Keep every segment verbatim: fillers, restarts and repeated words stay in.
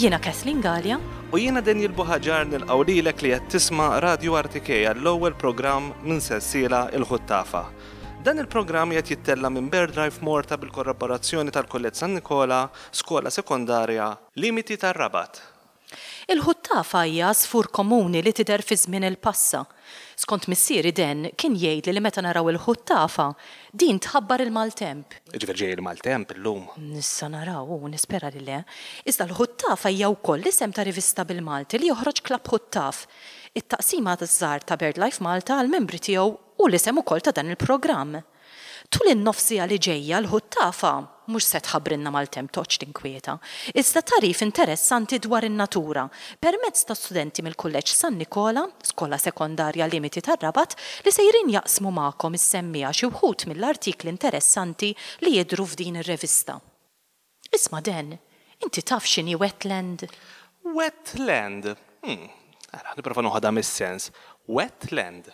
Jiena Kathleen Galea. U jiena Daniel Buhaġar nilqgħu lilek li qed tisma' Radio R T K għall-ewwel programm minn sensiela Il-Ħuttafa. Dan il-programm qed jittella minn BirdLife Malta bil-kollaborazzjoni tal-Kulleġġ San Nikola, Skola Sekondarja, Limiti tar-Rabat. Il-ħuttafa hija għasfur komuni li tidher fi żmien il-passa. Skont missieri Dan kien jgħidli li meta naraw il-ħuttafa, din tħabbar il-maltemp. Ġifieri ġej il-maltemp illum. Issa naraw u nispera li le. Iżda l-ħuttafa hija wkoll l-isem ta' rivista bil-Malti li joħroġ Klabb Ħuttaf. It-taqsima taż-żgħar ta' BirdLife Malta għal membri tiegħu u l-isem ukoll ta' dan il-programm. Tul in-nofs siegħa li ġejja l-ħuttafa mhux se tħabbrilna maltemp, toqgħodx tinkwieta. Iżda tagħrif interessanti dwar in-natura permezz ta' studenti mill-Kulleġġ San Nikola, Skola Sekondarja Limiti tar-Rabat, li sejrin jaqsmu magħkom is-semmiegħa xi wħud mill-artikli interessanti li jidhru f'din ir-rivista. Isma' Dan, inti taf x'inhi wetland? Wetland. Hmm. Ara, nipprova noħodha mis-sens. Wetland.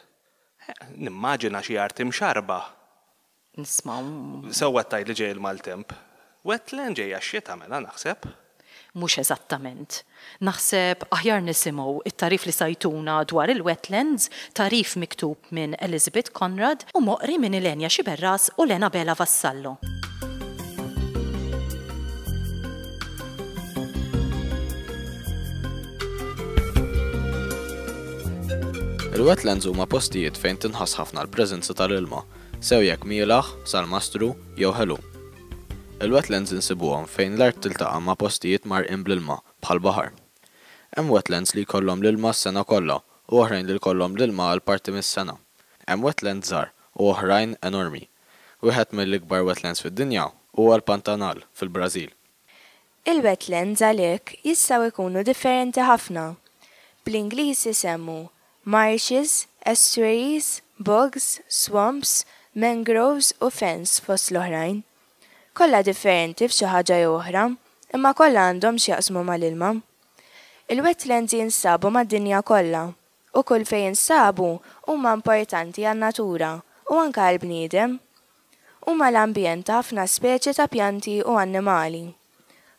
Eh, nimmaġina xi art imxarba. Nisma' Sewwa tgħid li ġej il-maltemp. Wetland ġejja x-xita mela naħseb. Mhux eżattament. Naħseb aħjar nisimgħu it-tagħrif li se jtuna dwar il-wetlands, tagħrif miktub minn Elizabeth Conrad u moqri minn Ilenja Xiberras u Lena Bela Vassallo. Il-wetlands huma postijiet fejn tinħass ħafna l-preżenza tal-ilma, sew jekk mielaħ, salmastru jew ħelu. Il-wetlands insibuhom fejn l-art tiltaqa' ma' postijiet mgħarrqin bl-ilma bħal baħar. Hemm wetlands li jkollhom l-ilma s-sena kollha u oħrajn li jkollhom l-ilma għal parti mis-sena. Hemm wetlands żgħar u oħrajn enormi. Wieħed mill-ikbar wetlands fid-dinja huwa l-Pantanal fil-Brażil. Il-wetlands għalhekk jistgħu jkunu differenti ħafna. Bl-Ingliż isemmu marshes, estuaries, bogs, swamps, mangroves u fens fost l-oħrajn. Kollha differenti f'xi ħaġa jew oħra, imma kollha għandhom x'jaqsmu mal-ilma. Il-wetlands jinsabu mad-dinja kollha u kull fejn jinsabu huma importanti għan-natura u anke għall-bniedem. Huma l-ambjent ta' ħafna speċi ta' pjanti u annimali.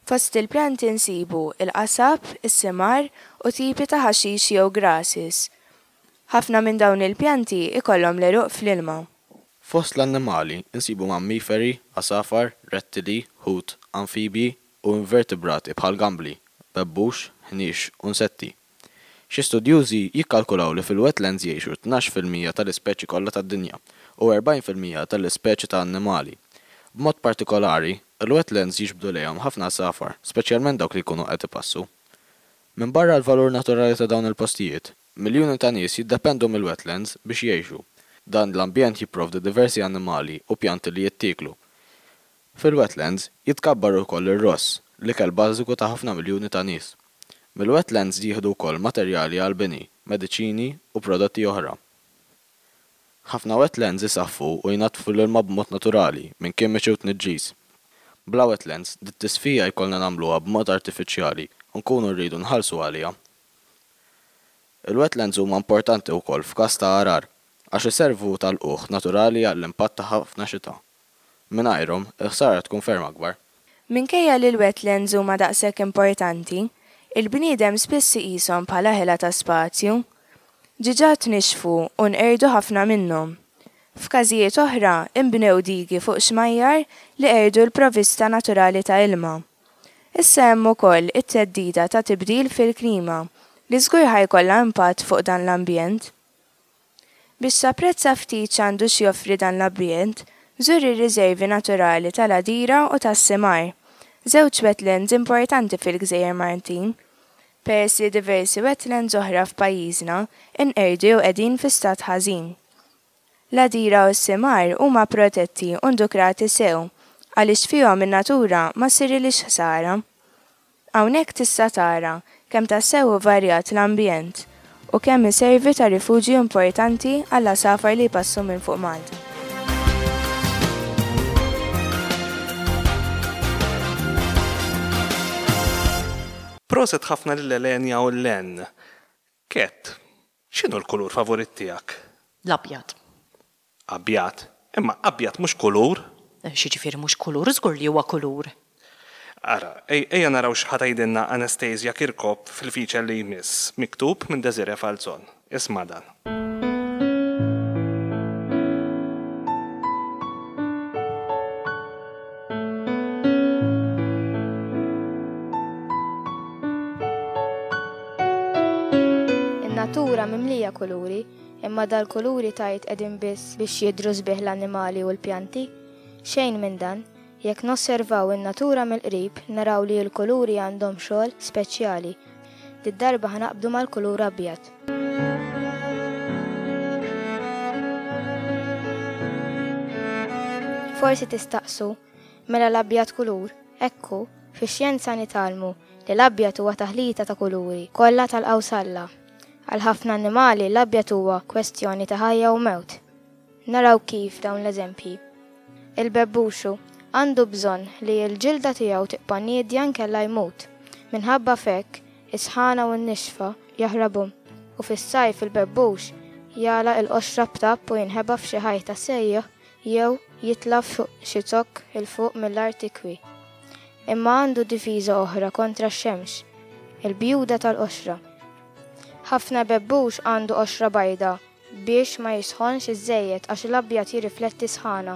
Fost il-pjanti nsibu il-qasab, is-simar u tipi ta' ħaxix jew grasses. Ħafna minn dawn il-pjanti ikollhom l-għeruq fl-ilma. Fost l-annimali insibu mammiferi, għasafar, rettili, ħut, amfibji u invertebrati bħal gambli, bebbux, ħniex u insetti. Xi studjużi jikkalkulaw li fil-wetlands jgħixu tnax fil-mija tal-ispeċi kollha tad-dinja u erbgħin fil-mija tal-ispeċi ta' annimali. B'mod partikolari, il-wetlands jiġbdu lejhom ħafna għasafar, speċjalment dawk li jkunu qed ipassu. Minbarra l-valur naturali ta' dawn il-postijiet, miljuni ta' nies jiddependu mill-wetlands biex jgħixu. Dan l-ambjent jipprovdi diversi annimali u pjanti li jittieklu. Fil-wetlands jitkabbar ukoll ir-ross, l-ikel bażiku ta' ħafna miljuni ta' nies. Mill-wetlands jieħdu wkoll materjali għall-bini, mediċini u prodotti oħra. Ħafna wetlands isaffu u jnaddfu l-ilma b'mod naturali minn kimiċi u tniġġis. Bla wetlands, dit-tisfija jkollna nagħmluha b'mod artifiċjali u nkunu rridu nħallsu għaliha. Il-wetlands huma importanti wkoll f'każ ta' għargħar għax iservu ta' lqugħ naturali għall-impatt ta' ħafna xita. Mingħajrhom, il-ħsara tkun ferm akbar. Minkejja li l-wetlands huma daqshekk importanti, il-bniedem spiss iqishom bħala ħela ta' spazju. Diġà tnixxfu u nqerdu ħafna minnhom. F'każijiet oħra inbnew digi fuq xmajjar li qerdu l-provista naturali ta' ilma. Issa hemm ukoll it-theddida ta' tibdil fil-klima li żgur ħa jkollha impatt fuq dan l-ambjent. Biex tapprezza ftit x'għandu x'joffri dan l-ambjent, żur ir-riservi naturali tal-Għadira u tas-Simar, żewġ wetlands importanti fil-Gżejjer Maltin, peress li diversi wetlands oħra f'pajjiżna inqerdu jew qegħdin fi stat ħażin. L-Għadira u s-Simar huma protetti u ndukrati sew għaliex fihom in-natura ma ssirilhiex ħsara. Hawnhekk tista' tara kemm tassew hu varjat l-ambjent u kemm iservi ta' rifuġju importanti għall-għasafar li jpassu minn fuq Malta. Proset ħafna lil Elenja u Len. Ket, x'inhu l-kulur favorit tiegħek? L-abjad. Abjad. Imma abjad mhux kulur. X'jiġifieri mhux kulur, żgur li huwa kulur. Ara, ejja naraw x'ħa tgħidilna Anastasia Kirkop fil-feature li jmiss, miktub minn Desiree Falzon. Isma' dan. In-natura mimlija kuluri, imma dal-kuluri tgħid qegħdin biss biex jidhru sbieħ l-annimali u l-pjanti. Xejn minn dan, jekk nosservaw in-natura mill-qrib naraw li l-kuluri għandhom xogħol speċjali. Did-darba ħa naqbdu mal-kulur abjad. Forsi tistaqsu, mela l-abjad kulur, ekku, fix-xjenza nitgħallmu li l-abjad huwa taħlita ta' kuluri, kollha tal-qawsalla. Għal ħafna annimali l-abjad huwa kwestjoni ta' ħajja u mewt. Naraw kif dawn l-eżempji. Il-bebbuxu għandu bżonn li l-ġilda tiegħu tibqa' niedja nkella jmut. Minħabba f'hekk, is-sħana u n-nixfa jaħrabu u fis-sajf il-bebbux jagħlaq il-qoxra b'tapp u jinħeba f'xi ħajta sejjaħ jew jitla' fuq xi zokk 'il fuq mill-art ikwi. Imma għandu difiża oħra kontra x-xemx, il-bjuda tal-qoxra. Ħafna bebbux għandu qoxra bajda biex ma jisħonx iżżejjed għax l-abjad jirrifletti sħana.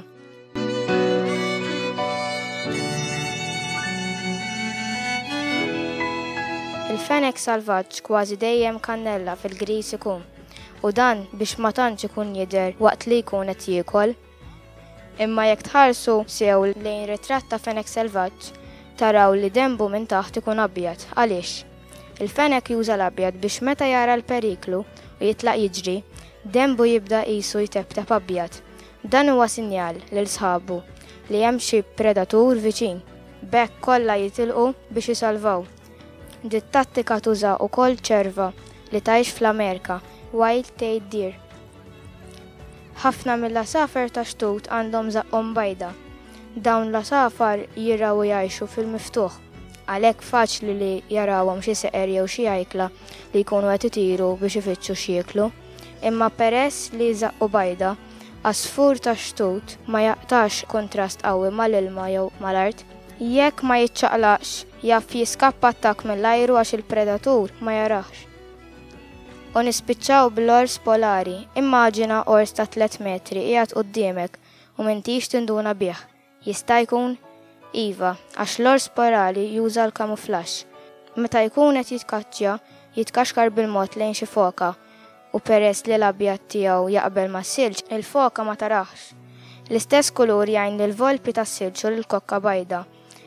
Il-fenek salvaġġ kważi dejjem kannella fil-gris ikun, u dan biex ma tantx ikun jidher waqt li jkun qed jiekol. Imma jekk tħarsu sew lejn ritratt ta' fenek selvaġġ, taraw li denbu minn taħt ikun abjad. Għaliex? Il-fenek juża l-abjad biex meta jara l-periklu u jitlaq jiġri, denbu jibda qisu jtebteb abjad. Dan huwa sinjal lil sħabu li hemm xi predatur viċin. B'hekk kollha jitilqu biex isalvaw. Dit-tattika tuża wkoll ċerva li tgħix fl-Amerika, wild tailed deer. Ħafna mill-għasafar ta' xtut għandhom żaqqhom bajda. Dawn l-għasafar jiraw u jgħixu fil-miftuħ. Għalhekk faċli li jarawhom xi seqer jew xi ajkla li jkunu qed itiru biex ifittxu x'jieklu. Imma peress li żaqqu bajda, għasfur ta' xtut ma jaqtax kontrast qawwi mal-ilma jew mal-art. Jekk ma jiċċaqlaqx, jaf jiskappa attakk mill-ajru għax il-predatur ma jarax. U nispiċċaw bl-ors polari. Immaġina ors ta' tliet metri qiegħed quddiemek u m'intix tinduna bih. Jista' jkun? Iva, għax l-ors polari juża l-kamuflaġġ. Meta jkun qed jitkaċċja, jitkaxkar bil-mod lejn xi foka u peress li l-abjad tiegħu jaqbel mas-silġ, il-foka ma tarax. L-istess kulur jgħin lill-volpi tas-silġ u lill-kokka bajda.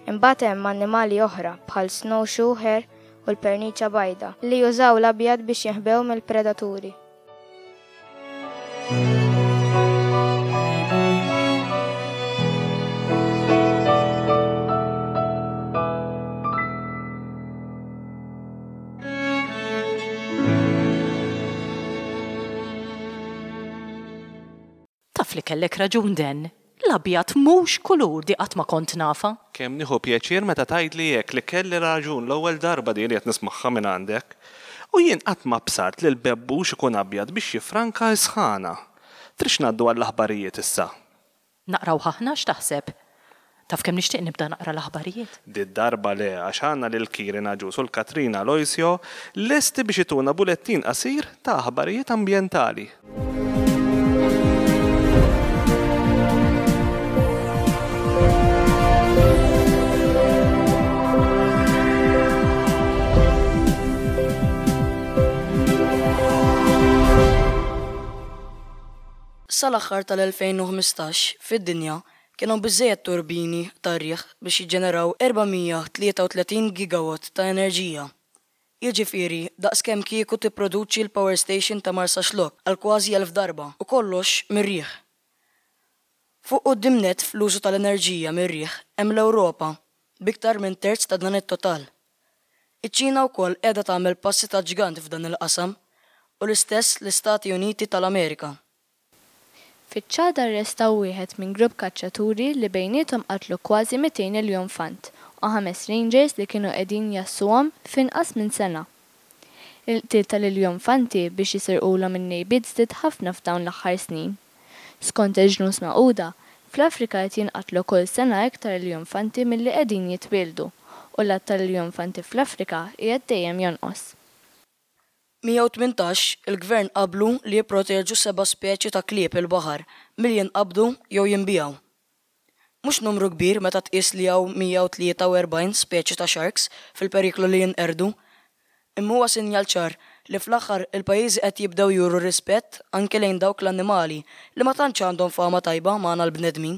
Imbagħad hemm annimali oħra bħal snowshoe hare u l-perniċa bajda li jużaw l-abjad biex jinħbew mill-predaturi. Taf li kellek raġun Den, l-abjad mhux kulur di qatt ma kont nafa. Kemm nieħu pjaċir meta tgħidli hekk li kelli raġun l-ewwel darba di li qed nismagħha minn għandek. U jien qatt ma bsart li l-bebbux ikun abjad biex jifranka s-sħana. Trix ngħaddu għall-aħbarijiet issa. Naqraw aħna x'taħseb? Taf kemm nixtieq nibda naqra l-aħbarijiet? Did-darba le, għax għandna lil Kieran Agius u l-Katrina Aloisio lesti biex ituna bulettin qasir ta' aħbarijiet ambjentali. Sal-aħħar tal-elfejn u ħmistax fid-dinja kienu biżżejjed turbini tar-riħ biex jiġġeneraw erba' mija tlieta u tletin gigawatt ta' enerġija. Jiġifieri daqskemm kieku tipproduċi l-power station ta' Marsaxlokk għal kważi elf darba u kollox mir-riħ. Fuq quddiem nett fl-użu tal-enerġija mir-riħ hemm l-Ewropa b'iktar minn terz ta' dan it-total. Iċ-Ċina wkoll qiegħda tagħmel passi ta' ġgant f'dan il-qasam u l-istess l-Istati Uniti tal-Amerika. Fiċ-Ċad arrestaw wieħed minn grupp kaċċaturi li bejniethom qatlu kważi mitejn iljunfant u ħames rangers li kienu qegħdin jassuhom f'inqas minn sena. Il-qtil tal-iljunfanti biex jisirqulhom in-nejbiet żdied ħafna f'dawn l-aħħar snin. Skont il-ġnus Magħquda, fl-Afrika qed jinqatlu kull sena iktar iljunfanti milli qegħdin jitwieldu u l-għadd tal-iljunfanti fl-Afrika qiegħed dejjem jonqos. mija u tmintax il-gvern qablu li jipproteġu seba' speċi ta' klieb il-baħar milli jinqabdu jew jinbiegħu. Mhux numru kbir meta tqis li hawn mija u tlieta u erbgħin speċi ta' sharks fil-periklu li jinqerdu. Imma huwa sinjal ċar li fl-aħħar il-pajjiżi qed jibdew juru rispett anke lejn dawk l-annimali li ma tantx għandhom fama tajba magħna l-bnedmin.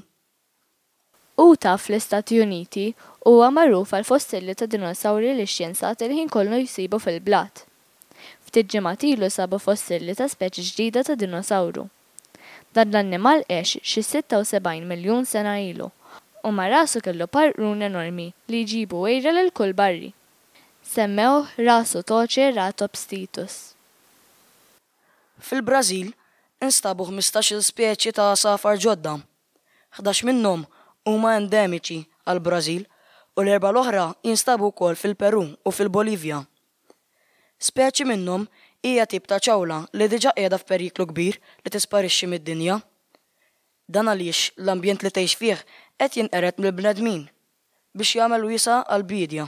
Utah fl-Istati Uniti huwa magħruf għall-fossilli ta' dinosawri li x-xjenzati l-ħin kollu jsibu fil-blat. Ftit ġimgħat ilu sabu fossilli ta' speċi ġdida ta' dinosawru. Dan l-annimal għex xi sitta u sebgħin miljun sena ilu u ma' rasu kellu par qrun enormi li jġibu għira lil kull barri. Semmewh Rasutoceratops titus. Fil-Brażil instabu ħmistax-il speċi ta' għasafar ġodda. Ħdax minnhom huma endemiċi għall-Brażil u l-erba' l-oħra jinstabu wkoll fil-Peru u fil-Bolivja. Speċi minnhom hija tip ta' ċawla li diġà qiegħda f'periklu kbir li tisparixxi mid-dinja. Dan għaliex l-ambjent li tgħix fih qed jinqered mill-bnedmin biex jagħmel wiesa' għall-biedja.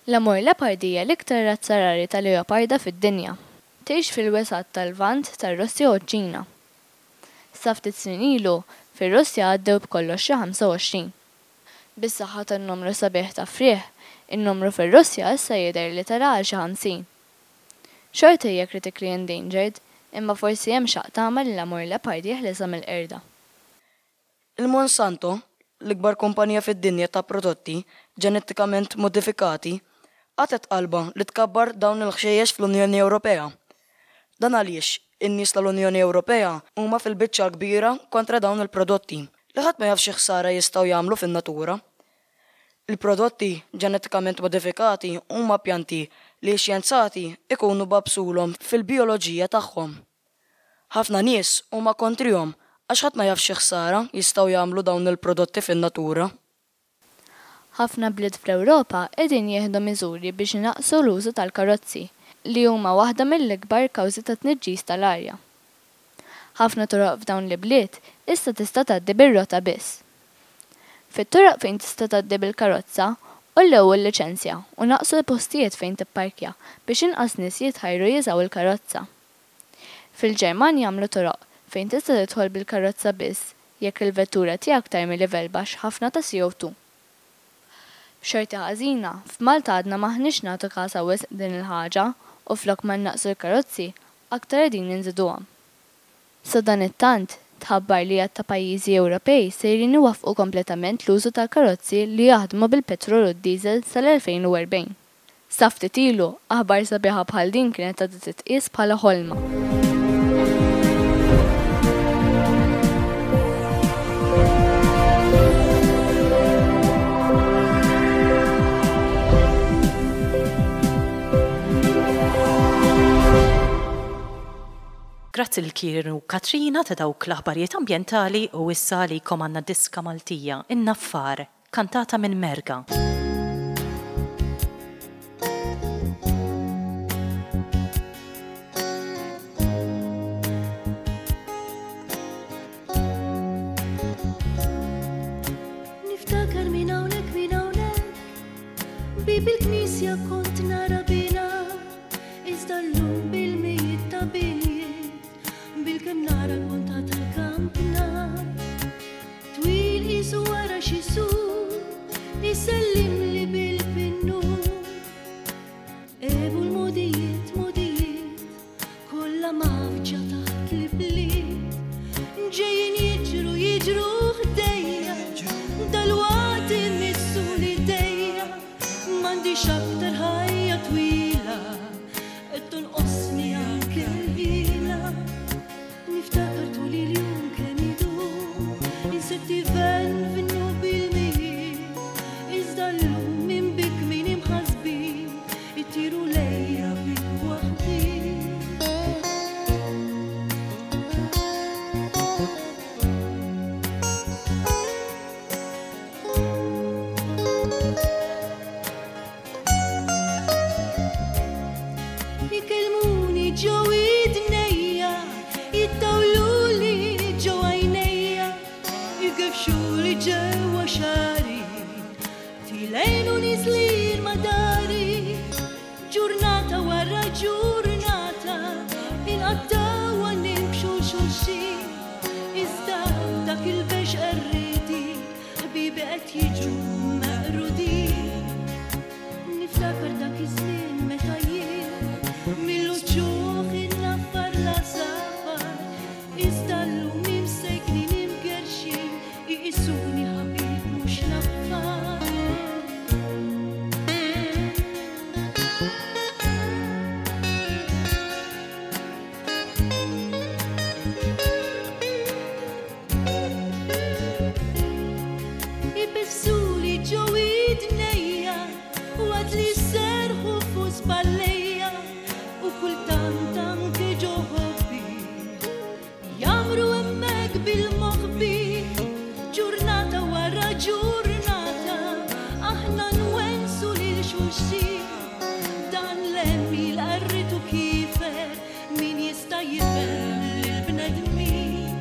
L-Amur leopard hija l-iktar razza rari ta' leoparda fid-dinja. Tgħix fil-wesgħat tal-Lvant tar-Russja u ċ-Ċina. Sa ftit snin ilu, fir-Russja għaddew b'kollox xi ħamsa u għoxrin. Bis-saħħa tan-numru sabiħ ta' frieħ, in-numru fir-Russja issa jidher li tela' għal xi ħamsin. Xorta hija critically endangered, imma forsi hemm xaqq tama li l-Amur leopard jeħlisha mill-qerda. Il-Monsanto, l-ikbar kumpanija fid-dinja ta' prodotti ġenetikament modifikati, qatgħet qalbha li tkabbar dawn il-ħxejjex fl-Unjoni Ewropea. Dan għaliex in-nies tal-Unjoni Ewropea huma fil-biċċa l-kbira kontra dawn il-prodotti li ħadd ma jaf xi ħsara jistgħu jagħmlu fin-natura. Il-prodotti ġenetikament modifikati huma pjanti li x-xjenzati ikunu babsulhom fil-bijoloġija tagħhom. Ħafna nies huma kontrihom għax ħadd ma jaf xi ħsara jistgħu jagħmlu dawn il-prodotti fin-natura. Ħafna bliet fl-Ewropa qegħdin jieħdu miżuri biex inaqqsu l-użu tal-karozzi, li huma waħda mill-ikbar kawżi ta' tniġġis tal-arja. Ħafna toroq f'dawn l-ibliet issa tista' tgħaddi bir-rota biss. Fit-toroq fejn tista' tgħaddi bil-karozza, għollew il-liċenzja u naqsu l-postijiet fejn tipparkja biex inqas nies jitħajru jużaw il-karozza. Fil-Ġermanja għamlu toroq fejn tista' tidħol bil-karozza biss jekk il-vettura tiegħek tarmi livell baxx ħafna ta' C O two. B'xorti ħażina, f'Malta għadna m'aħniex nagħtu kasha wisq din il-ħaġa u flok ma naqsu l-karozzi, aktar qegħdin inżiduhom. Sadanittant, tħabbar li għadd ta' pajjiżi Ewropej sejrin iwaffqu kompletament l-użu tal-karozzi li jaħdmu bil-petrol u d-diesel sal-elfejn u erbgħin. Sa ftit ilu, aħbar sabiħa bħal din kienet għadha titqies bħala ħolma. Grazzi lil Kieran u Katrina ta' dawk l-aħbarijiet ambjentali u issa li għandna diska Maltija, In-Naffar, kantata minn Merga. Niftakar minn hawnhekk, minn hawnhekk, bib il-knisja kont nara bina, iżda llum bil-mijiet ta' binjiet, bil-kemm nara l-punta tal-kampna. Twil qisu wara xi sur, isellimli bil-pinnu. Ebu l-modijiet, modijiet, kollha mafġa taħt l-ibliet. Ġejjin jiġru, jiġru ħdejja, dalwaqt imissu l-idejja. M'għandix aktar ħajja twila. Bil-moħbi, ġurnata wara ġurnata, aħna nwensu lil xulxin. Dan l-għemil qarritu kifer, min jista' jifhem lill-bnedmin.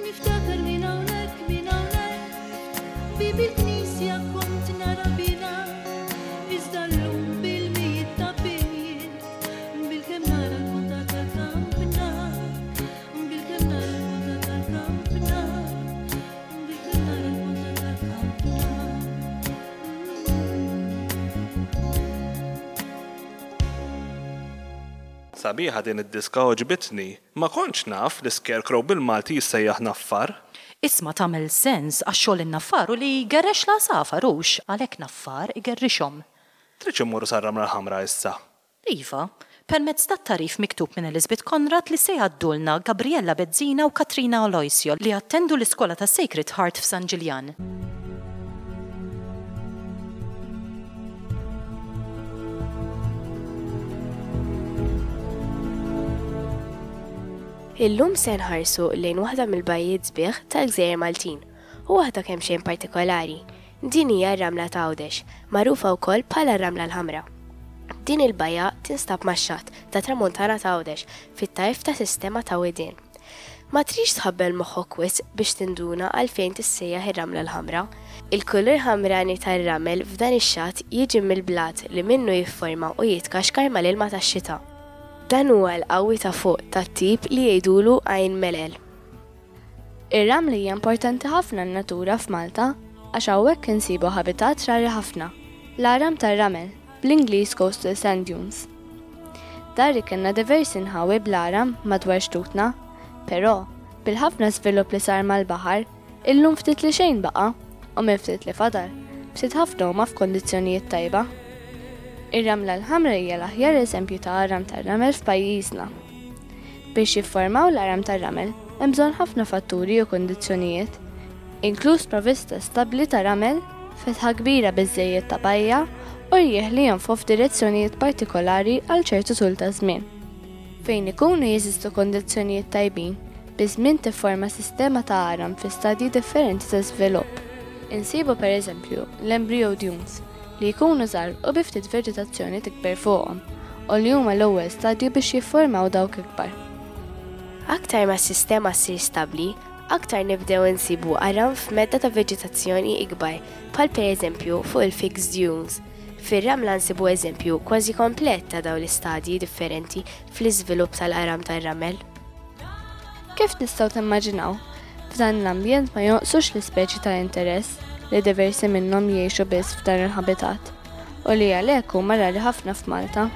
Niftakar minn hawnhekk, minn hawnhekk, bieb il-knisja kont nara bina, iżda llum bil-mijiet ta' binjiet, bilkemm nara l-punta tal-kampna, bilkemm nara l-punta tal-kampna, bilkemm nara l-punta tal-kampna. Sabiħa din id-diska għoġbitni. Ma kontx naf li scarecrow bil-Malti jissejjaħ naffar. Isma' tagħmel sens għax xogħol in-naffar hu li jgerrex l-għasafar hux, għalhekk naffar igerrixhom. Tridx immorru sar-Ramla l-Ħamra issa? Iva, permezz tat-tagħrif miktub minn Elizabeth Conrad li se jgħaddulna Gabriella Bezzina u Katrina Aloisio li attendu l-iskola ta' Sacred Heart f'San Ġiljan. Illum se nħarsu lejn waħda mill-bajjiet sbieħ tal-Gżejjer Maltin u waħda kemm xejn partikolari. Din hija r-Ramla ta' Għawdex, magħrufa wkoll bħala r-Ramla l-Ħamra. Din il-bajja tinstab max-xatt ta' Tramuntana ta' Għawdex fit-tarf ta' sistema ta' widien. Ma tridx tħabbel moħħok wisq biex tinduna għalfejn tissejjaħ ir-Ramla l-Ħamra. Il-kulur ħamrani tar-ramel f'dan ix-xatt jiġi mill-blat li minnu jifforma u jitkaxkar mal-ilma tax-xita. Dan huwa l-qawwi ta' fuq tat-tip li jgħidulu għajn melel. Ir-ramla hija importanti ħafna n-natura f'Malta għax hawnhekk insibu ħabitat rari ħafna, l-għaram tar-ramel, bl-Ingliż coastal sand dunes. Dari kellna diversi nħawi bl-għaram madwar xtutna, però bil-ħafna żvilupp li sar mal-baħar, illum ftit li xejn baqa' u minn ftit li fadal, ftit ħafna huma f'kondizzjonijiet tajba. Ir-Ramla l-Ħamra hija l-aħjar eżempju ta' għaram tar-ramel f'pajjiżna. Biex jiffurmaw l-għaram tar-ramel hemm bżonn ħafna fatturi u kundizzjonijiet, inkluż provvista stabbli ta' ramel, fetħa kbira biżżejjed ta' bajja u rjieħ li jonfqu f'direzzjonijiet partikolari għal ċertu tul ta' żmien. Fejn ikunu jeżistu kondizzjonijiet tajbin, biż-żmien tifforma sistema ta' għaram fi stadji differenti ta' żvilupp. Insibu pereżempju l-embryo dunes, li jkunu żgħar u bi ftit veġetazzjoni tikber fuqhom u li huma l-ewwel stadju biex jiffurmaw dawk ikbar. Aktar ma s-sistema ssir stabbli, aktar nibdew insibu għaram f'medda ta' veġetazzjoni ikbar, bħal pereżempju fuq il-fixed dunes. Fir-ramla nsibu eżempju kważi komplet ta' dawn l-istadji differenti fl-iżvilupp tal-għaram tar-ramel. Kif tistgħu timmaġinaw, f'dan l-ambjent ma jonqsux l-ispeċi ta' interess li diversi minnhom jgħixu biss f'dan il-ħabitat u li għalhekk huma rari ħafna f'Malta.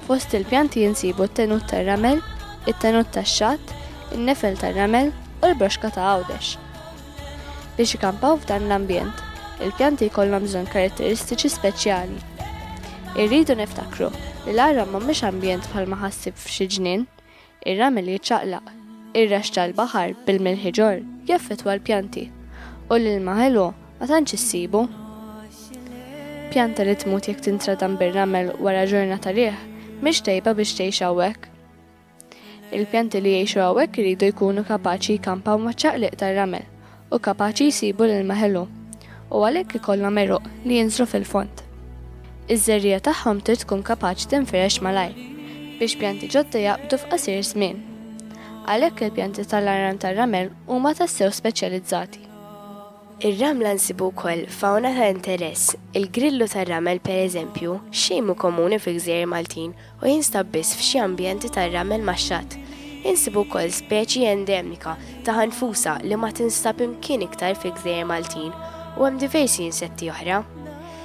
Fost il-pjanti jinsibu t-tenut tar-ramel, it-tenut tax-xatt, in-nefel tar-ramel u l-broxka ta' Għawdex. Biex ikampaw f'dan l-ambjent, il-pjanti jkollhom bżonn karatteristiċi speċjali. Irridu niftakru li l-għaram mhumiex ambjent bħalma ħassib f'xi ġnien, ir-ramel jiċċaqlaq, ir-raxx tal-baħar bil-milħi ġorr jaffettwa l-pjanti u l-ilma ħelu ma tantx issibu. Pjanta li tmut jekk tintradam bir-ramel wara ġurnata riħ mhix tajba biex tgħix hawnhekk. Il-pjanti li jgħixu hawnhekk iridu jkunu kapaċi jkampaw maċ-ċaqliq tar-ramel u kapaċi jsibu l-ilma ħelu u għalhekk ikollhom għeruq li jinżlu fil-fond. Iż-żerriegħa tagħhom trid tkun kapaċi tinfirex malajr biex pjanti ġodda jaqbdu f'qasir żmien. Għalhekk il-pjanti tal-għaram tar-ramel huma tassew speċjalizzati. Ir-ramla nsibu wkoll fawna ta' interess. Il-grillu tar-ramel pereżempju xejn mhu komuni fil-Gżejjer Maltin u jinstab biss f'xi ambjenti tar-ramel max-xatt. Insibu wkoll speċi endemika ta' ħanfusa li ma tinstab imkien iktar fil-Gżejjer Maltin u hemm diversi insetti oħra.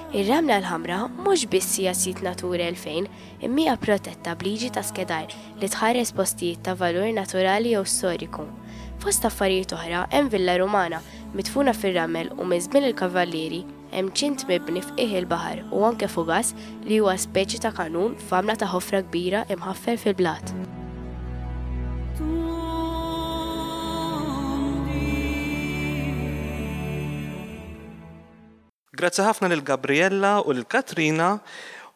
Ir-Ramla l-Ħamra mhux biss hija sit Natura elfejn, imma hija protetta b'liġi ta' skedar li tħares postijiet ta' valur naturali jew storiku. Fost affarijiet oħra hemm Villa Rumana midfuna fir-ramel u minn żmien il-Kavallieri hemm ċint mibni f'qiegħ il-baħar u anke fugas li huwa speċi ta' kanun f'għamla ta' ħofra kbira imħaffer fil-blat. Grazzi ħafna lil Gabriella u lil Katrina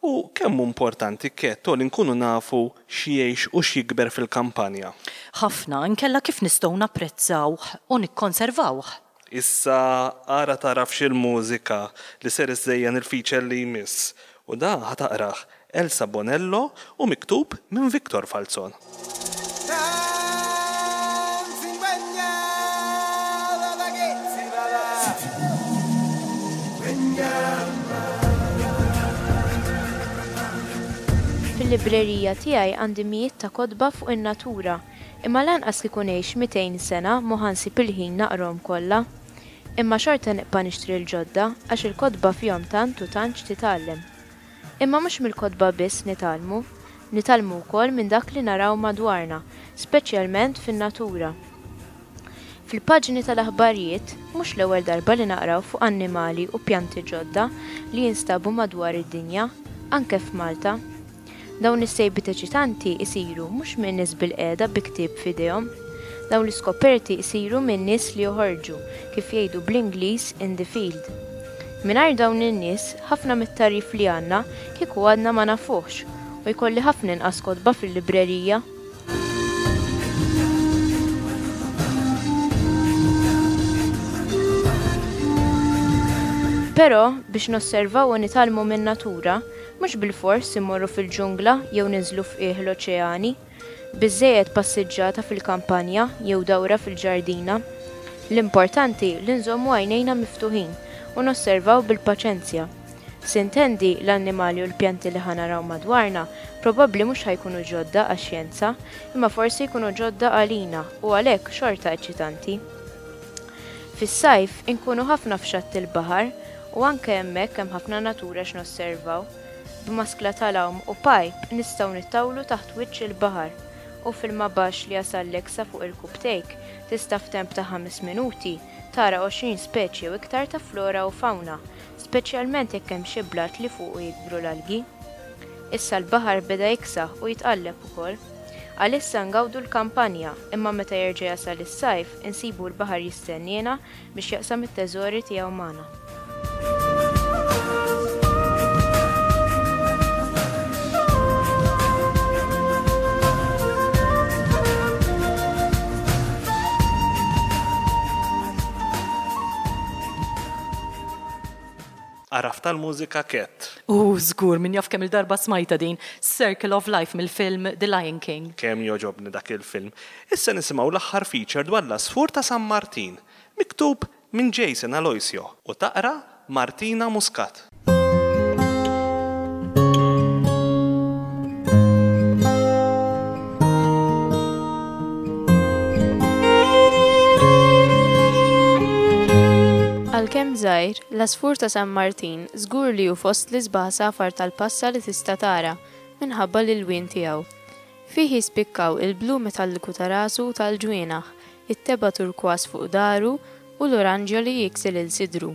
U kemm hu importanti ketto li nkunu nafu x'jgħix u x'jikber fil-kampanja? Ħafna inkella kif nistgħu napprezzawh u nikkonservawh. Issa ara taraf x'il-mużika li ser iżżejjen il-feature li jmiss. U da ħa taqrah Elsa Bonello u miktub minn Victor Falzon. Fil-librerija tiegħi għandi mijiet ta' kotba fuq in-natura, imma lanqas kieku ngħix mitejn sena mhu ħa nsib il-ħin naqrahom kollha. Imma xorta nibqa' nixtri l-ġodda għax il-kotba fihom tant u tant x'titgħallem. Imma mhux mill-kotba biss nitgħallmu, nitgħallmu wkoll minn dak li naraw madwarna, speċjalment fin-natura. Fil-paġni tal-aħbarijiet mhux l-ewwel darba li naqraw fuq annimali u pjanti ġodda li jinstabu madwar id-dinja, anke f'Malta. Dawn is-sejbiet eċitanti isiru mhux minn nies bil-qiegħda bi ktieb f'idejhom. Dawn l-iskoperti isiru minn nies li joħorġu, kif jgħidu bl-Ingliż in the field. Mingħajr dawn in-nies, ħafna mit-tagħrif li għandna kieku għadna ma nafuhx u jkolli ħafna inqas kotba fil-librerija. Però biex nosservaw u nitgħallmu min-natura, mhux bilfors immorru fil-ġungla jew ninżlu f'qiegħ l-oċeani, biżżejjed passiġġata fil-kampanja jew dawra fil-ġardina. L-importanti li nżommu għajnejna miftuħin u nosservaw bil-paċenzja. Sintendi l-annimali u l-pjanti li ħa naraw madwarna probabbli mhux ħa jkunu ġodda għax-xjenza, imma forsi jkunu ġodda għalina u għalhekk xorta eċitanti. Fis-sajf inkunu ħafna f'xatt il-baħar u anke hemmhekk hemm ħafna natura x'nosservaw. B'maskla tal-għawm u pajp nistgħu nittawlu taħt wiċċ il-baħar u fil-ma baxx li jasallek sa fuq il-kubtejk tista' f'temp ta' ħames minuti tara għoxrin speċi u iktar ta' flora u fauna, speċjalment jekk hemm xi blat li fuqu jikbru l-algi. Issa l-baħar beda jiksaħ u jitqalleb ukoll. Għalissa ngawdu l-kampanja, imma meta jerġa' jasal is-sajf insibu l-baħar jistenniena biex jaqsam it-teżori tiegħu magħna. Għaraf tal-mużika Ket. U żgur, min jaf kemm il-darba smajta din Circle of Life mill-film The Lion King. Kemm joġobni dak il-film. Issa nisimgħu l-aħħar feature dwar l-għasfur ta' San Martin, miktub minn Jason Aloisio u taqra Martina Muscat. Għalkemm żgħir, l-għasfur ta' San Martin żgur li hu fost l-isbaħ safar tal-passa li tista' tara minħabba l-ilwien tiegħu. Fih jispikkaw il-blu metalliku ta' rasu u tal-ġwienaħ, it-teba turkwas fuq daru u l-oranġjo li jiksi lil sidru.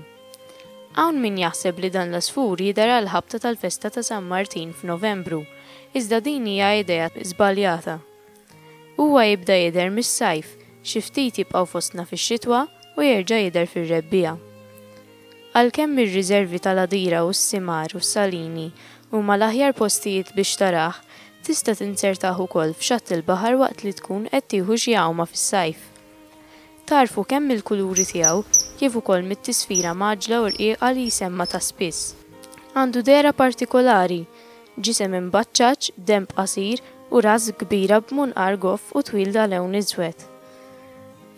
Hawn min jaħseb li dan l-għasfur jidher għal ħabta tal-festa ta' San Martin f'Novembru, iżda din hija idea żbaljata. Huwa jibda jidher mis-sajf, xi ftit jibqgħu fostna fix-xitwa u jerġa' jidher fir-rebbiegħa. Għalkemm ir-riservi tal-Għadira u s-Simar u s-Salini huma l-aħjar postijiet biex tarah, tista' tinsertah ukoll f'xatt il-baħar waqt li tkun qed tieħu xi għawma fis-sajf. Tarfu kemm mill-kuluri tiegħu kif ukoll mit-tisfira maġla u rqiqa li jsemma ta' spiss. Għandu dehra partikolari, ġisem imbaċċaċ, denb qasir u ras kbira b'munqar goff u twil da lewn iżwed.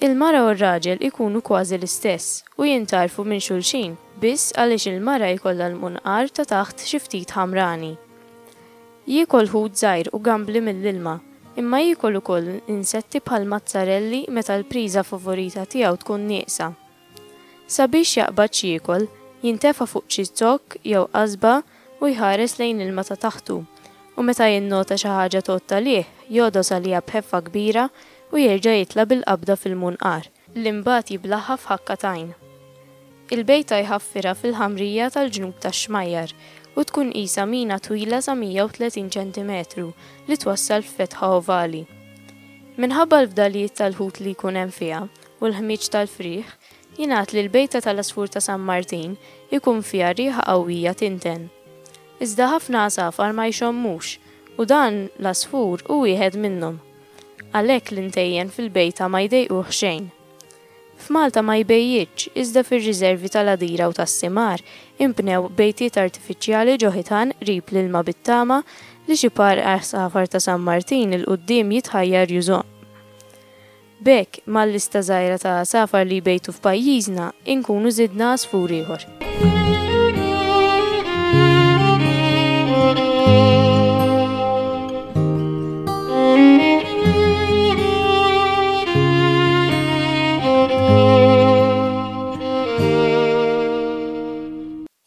Il-mara u r-raġel ikunu kważi l-istess u jintarfu minn xulxin biss għaliex il-mara jkollha l-munqar ta' taħt xi ftit ħamrani. Jiekol ħut żgħir u gambli mill-ilma, imma jiekol ukoll insetti bħal mazzarelli meta l-priża favorita tiegħu tkun nieqsa. Sabiex jaqbad x'jiekol, jintefa' fuq xi zokk jew qasba u jħares lejn ilma ta' taħtu, u meta jinnota xi ħaġa tgħodd għalih, jogħdos għaliha b'ħeffa kbira u jerġa' jitla' bil-qabda fil-munqar, li mbagħad jiblaħħa f'ħakka t'għajn. Il-bejta jħaffirha fil-ħamrija tal-ġnub tax-xmajjar u tkun qisha mina twila sa mija u tletin ċentimetru li twassal f'fetħa ovali. Minħabba l-fdalijiet tal-ħut li jkun hemm fiha u l-ħmieġ tal-frieħ, jingħad li l-bejta tal-għasfur ta' San Martin ikun fiha riħa qawwija tinten. Iżda ħafna għasafar ma jxommux u dan l-għasfur hu wieħed minnhom. Għalhekk l-intejjen fil-bejta ma jdejquh xejn. F'Malta ma jbejjitx iżda fir-riservi tal-Għadira u tas-Simar inbnew bejtiet artifiċjali ġo ħitan qrib l-ilma bit-tama li xi par għasafar ta' San Martin 'il quddiem jitħajjar jużhom. B'hekk, mal-lista żgħira ta' għasafar li jbejtu f'pajjiżna, inkunu żidna għasfur ieħor.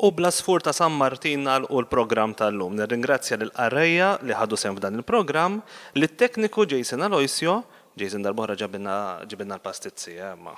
U bl-għasfur ta' San Martin nagħlqu l-programm tal-lum. Nirringrazzja lill-qarrejja li ħadu sehem f'dan il-programm, lit-tekniku Jason Aloisio, Jason darb'oħra ġabilna ġibilna l-pastizzi, eh, ma.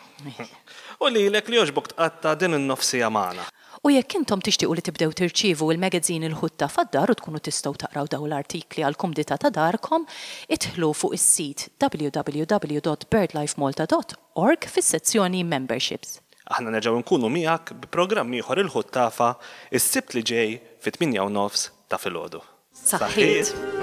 U lilek li jogħġbok tqatta' din in-nofsija magħna. U jekk intom tixtiequ li tibdew tirċievu il-magazine Il-Ħutta fad-dar u tkunu tistgħu taqraw dawn l-artikli għal kumdità ta' darkom, idħlu fuq is-sit w w w dot birdlifemalta dot org fis-sezzjoni Memberships. Aħna nerġgħu nkunu miegħek bi programm ieħor Il-Ħuttafa is-Sibt li ġej fit-tmienja u nofs ta' filgħodu. Saħħiet!